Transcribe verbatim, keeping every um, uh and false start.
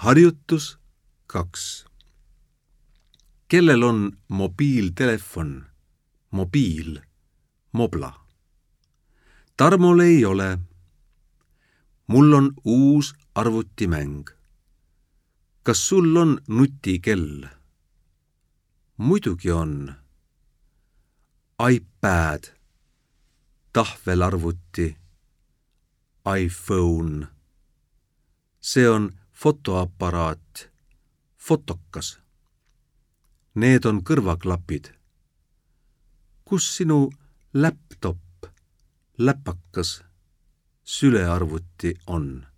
Harjutus kaks. Kellel on mobiiltelefon, mobiil, mobla? Tarmol ei ole. Mul on uus arvutimäng. Kas sul on nutikell? Muidugi on. iPad, tahvelarvuti, iPhone. See on fotoaparaat, fotokas. Need on kõrvaklapid. Kus sinu laptop, läpakas, sülearvuti on?